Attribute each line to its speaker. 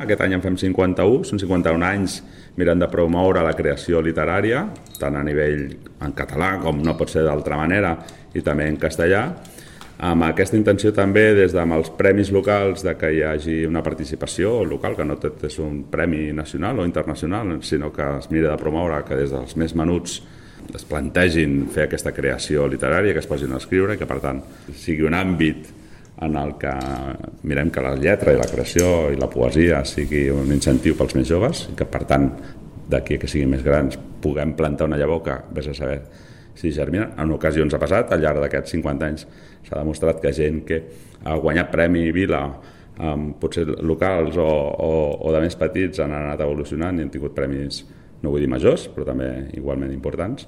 Speaker 1: aquest any en fem 51, són 51 anys mirant de promoure la creació literària, tant a nivell en català com no pot ser d'altra manera, i també en castellà, amb aquesta intenció també des dels premis locals de que hi hagi una participació local, que no tot és un premi nacional o internacional, sinó que es mira de promoure que des dels més menuts es plantegin fer aquesta creació literària, que es posin a escriure i que per tant sigui un àmbit en el que mirem que la lletra i la creació i la poesia sigui un incentiu pels més joves i que per tant d'aquí que siguin més grans puguem plantar una llavor que vés a saber si germina. En ocasions ha passat, al llarg d'aquests 50 anys s'ha demostrat que gent que ha guanyat Premi Vila potser locals o de més petits han anat evolucionant i han tingut premis, no vull dir majors, però també igualment importants.